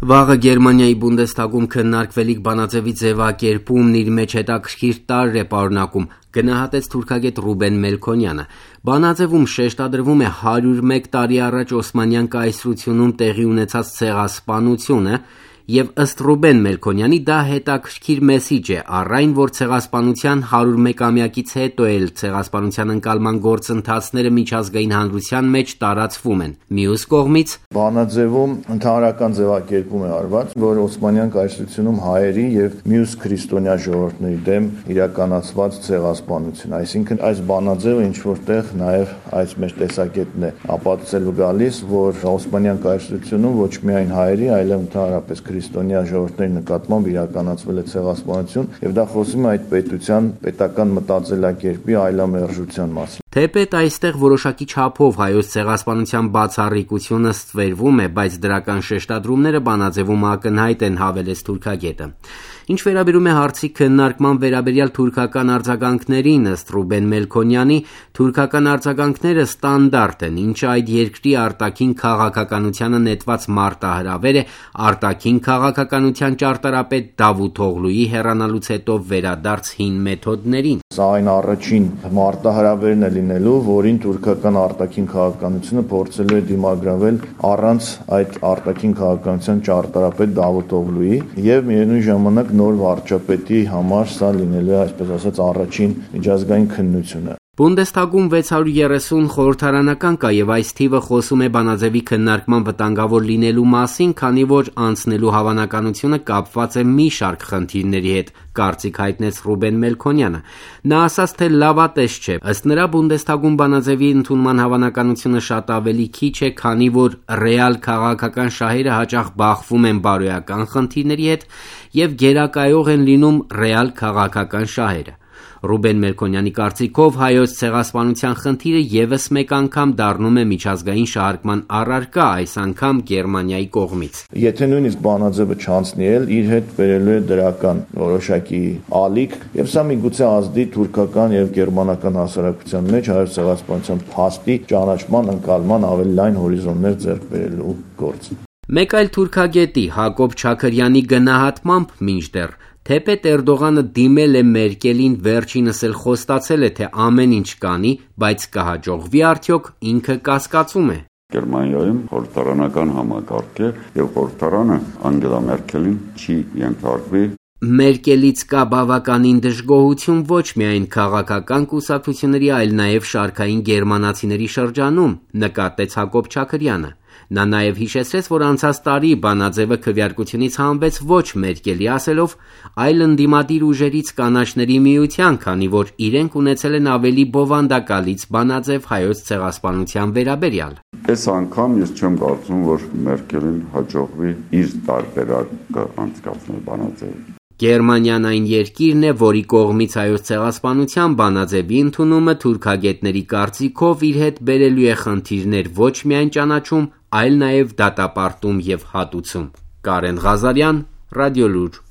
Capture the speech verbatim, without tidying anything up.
Վաղը Գերմանիայի Բունդեսթագում քննարկվելիք բանաձևի ձևակերպումն իր մեջ հետաքրքիր տարր է պարունակում, գնահատեց թուրքագետ Ռուբեն Մելքոնյանը։ Բանաձևում շեշտադրվում է հարյուր մեկ տարի առաջ Օսմանյան կայսրությունում տեղի ունեցած ցեղասպանությունը, եւ ըստ Ռուբեն Մելքոնյանի դա հետաքրքիր մեսիջ է, առ այն, որ ցեղասպանության հարյուր մեկամյակից հետո էլ ցեղասպանության ընկալման գործընթացները միջազգային հանրության մեջ տարածվում են։ Մյուս կողմից բանաձևում ընդհանրական ձևակերպում է արված, որ Օսմանյան կայսրությունում հայերի եւ մյուս քրիստոնյա ժողովուրդների դեմ իրականացված ցեղասպանություն, այսինքն այս բանաձևը ինչ որտեղ նաեւ այս մեր տեսակետն է ապացուցելու գալիս, որ Օսմանյան կայսրությունում ոչ միայն հայերի, այլև ընդհանրապես քրիստոնյա ժողովուրդների նկատմամբ իրականացվել է ցեղասպանություն եւ դա խոսում է այդ պետության պետական մտածելակերպի այլամերժության մասին։ Թեպետ այստեղ որոշակի չափով հայոց ցեղասպանության բացառիկությունը ստվերվում է, բայց դրական շեշտադրումները բանաձևում ակնհայտ են, հավելեց թուրքագետը։ Ինչ վերաբերում է հարցի քննարկման վերաբերյալ թուրքական արձագանքներին, ըստ Ռուբեն Մելքոնյանի, թուրքական արձագանքները ստանդարտ են, ինչը այդ երկրի արտաքին քաղաքականությանը նետված մարտահրավեր է արտաքին քաղաքականության ճարտարապետ Դավութ Օղլուի հեռանալուց հետո վերադարձ հին մեթոդներին։ Սա այն առաջին մարտահրավերն է լինելու, որին թուրքական արտաքին քաղաքականությունը փորձելու է դիմագրավել առանց այդ արտաքին քաղաքականության ճարտարապետ Դավութ Օղլուի եւ միևնույն ժամանակ նոր վարչապետի համար սա լինելու է, այսպես ասած, առաջին միջազգային քննությունը։ Բունդեսթագում վեց հարյուր երեսուն խորհրդարանական կա եւ այս թիվը խոսում է բանաձևի քննարկման վտանգավոր լինելու մասին, քանի որ անցնելու հավանականությունը կապված է մի շարք խնդիրների հետ, կարծիք հայտնեց Ռուբեն Մելքոնյանը։ Նա ասաց, թե լավատես չէ։ Ըստ նրա Բունդեսթագում բանաձևի ընդունման հավանականությունը շատ ավելի քիչ է, քանի որ ռեալ քաղաքական շահերը հաճախ բախվում են բարոյական խնդիրների հետ եւ գերակայող են լինում ռեալ քաղաքական շահերը։ Ռուբեն Մելքոնյանի կարծիքով հայոց ցեղասպանության խնդիրը եւս մեկ անգամ դառնում է միջազգային շահարկման առարկա, այս անգամ Գերմանիայի կողմից։ Եթե նույնիսկ բանաձևը չանցնի էլ, իր հետ բերելու է դրական որոշակի ալիք, եւ սա միգուցե ազդի թուրքական եւ գերմանական հասարակության մեջ հայոց ցեղասպանության փաստի ճանաչման, ընկալման ավելի լայն հորիզոններ ձեռք բերելու գործ։ Մեկ այլ թուրքագետի Հակոբ Չաքրյանի գնահատմամբ մինչդեռ թեպետ Էրդողանը դիմել է Մերկելին, վերջինս էլ խոստացել է, թե ամեն ինչ կանի, բայց կհաջողվի արդյոք, ինքը կասկածում է։ Գերմանիայում խորհրդարանական համակարգ է եւ խորհրդարանը Անգելա Մերկելին չի ենթարկվի։ Մերկելից կա բավականին դժգոհություն ոչ միայն քաղաքական կուսակցությունների, այլ նաև շարքային գերմանացիների շրջանում, նկատեց Հակոբ Չաքրյանը։ Նա նաև հիշեցրեց, որ անցած տարի բանաձևը քվեարկությունից հանվեց ոչ Մերկելի ասելով, այլ ընդդիմադիր ուժերից կանաչների միության, քանի որ իրենք ունեցել են ավելի բովանդակալից բանաձև հայոց ցեղասպանության վերաբերյալ։ Այս անգամ ես չեմ կարծում, որ Մերկելին հաջողվի իր տարբերակը անցկացնել բանաձևը։ Գերմանիան այն երկիրն է, որի կողմից հայոց ցեղասպանության բանաձևի ընդունումը թուրքագետների կարծիքով իր հետ բերելու է խնդիրներ ոչ միայն ճանաչում, այլ նաև դատապարտում եւ հատուցում։ Կարեն Ղազարյան, Ռադիոլուր։